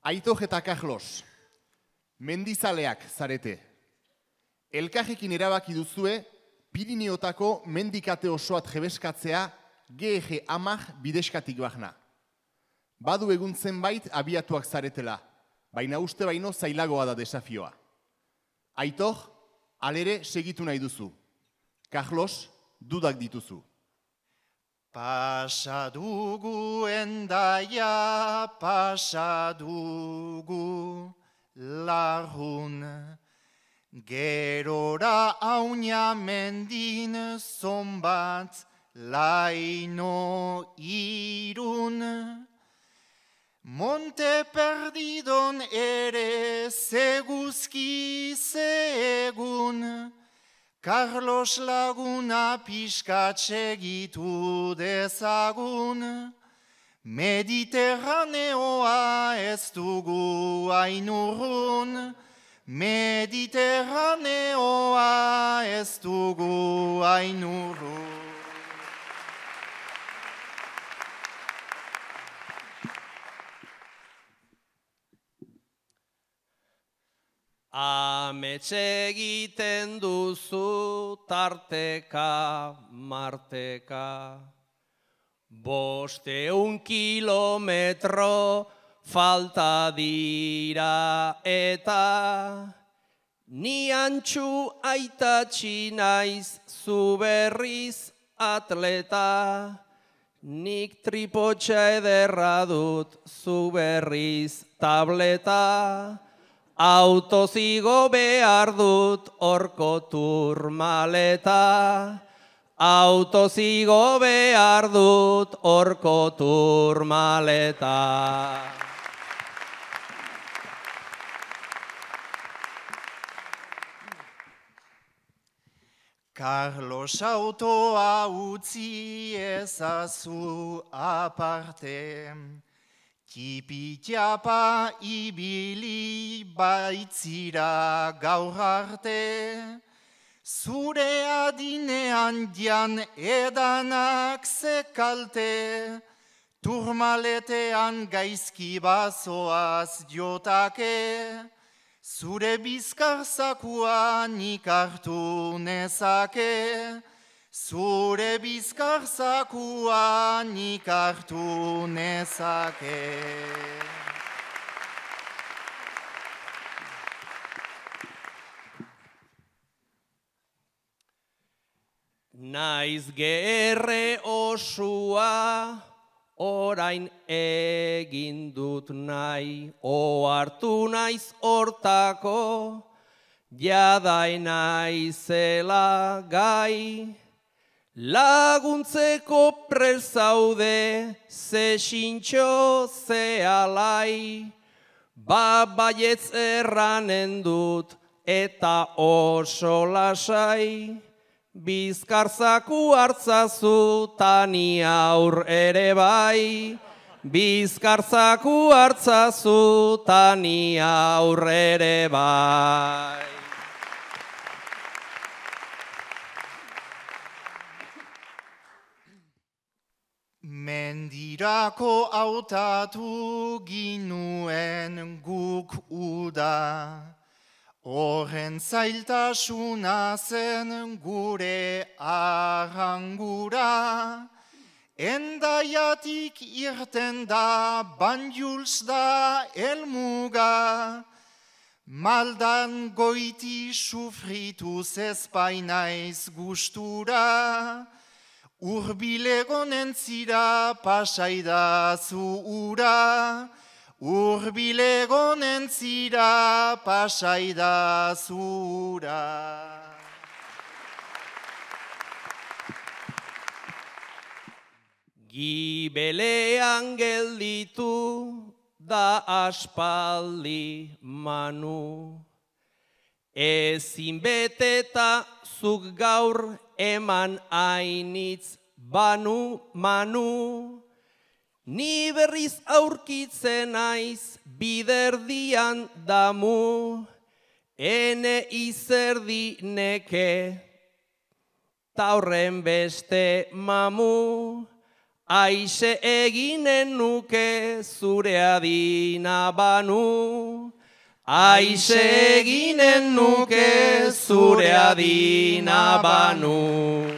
Aitor eta Carlos, mendizaleak zarete. Elkarrekin erabaki duzue, Pirineotako mendikate osoat jebeskatzea GG 10 bideskatik bahna. Badu egun zenbait abiatuak zaretela, baina uste baino zailagoa da desafioa. Aitor, alere segitu nahi duzu. Carlos, dudak dituzu. Pasa dugu endaia, pasa dugu larrun. Gerora aunia mendin zonbat laino irun. Monte perdidon ere zeguzki zegun. Carlos laguna pixkat segitu dezagun. Mediterraneoa ez dugu ainurrun. Mediterraneoa ez dugu ainurrun. Amets egiten duzu tarteka, marteka. 500 kilometro falta dira eta ni antxu aitatxi naiz zu berriz atleta. Nik tripotxa ederra dut zu berriz tableta. Autozigo behar dut horko turmaleta. Autozigo behar dut horko turmaleta. Carlos autoa utzi ezazu aparte. Tipi-tiapa ibili baitzira gaur arte. Zure adinean dian edanak zekalte. Turmaletean gaizki bazoaz jotake. Zure bizkarzakua nik hartu nezake. Zure bizkarzakua nik hartu nezake. Naiz gerre osua, orain egin dut nahi, ohartu naiz hortako, jadai naizela gai. Laguntzeko prezaude, ze sintxo, ze alai, baietz erranen dut eta oso lasai. Bizkarzaku hartzazu tani aur ere bai. Bizkarzaku hartzazu tani aur ere bai. Mendirako hautatu ginuen guk uda. Horren zailtasuna zen gure arrangura. Endaiatik irten da, Banjuls da elmuga. Maldan goiti sufrituz ezpainaiz gustura. Urbilegonen zira pasaidazu ura. Urbilegonen zira pasaidazu ura. Gibelean gelditu da aspaldi manu. Ezin beteta zuk gaur eman ainitz banu manu. Ni berriz aurkitzen naiz biderdian damu. Ene izerdi neke, taurren beste mamu. Aixe eginen nuke zure adina banu. Aixe eginen nuke zure adina banu.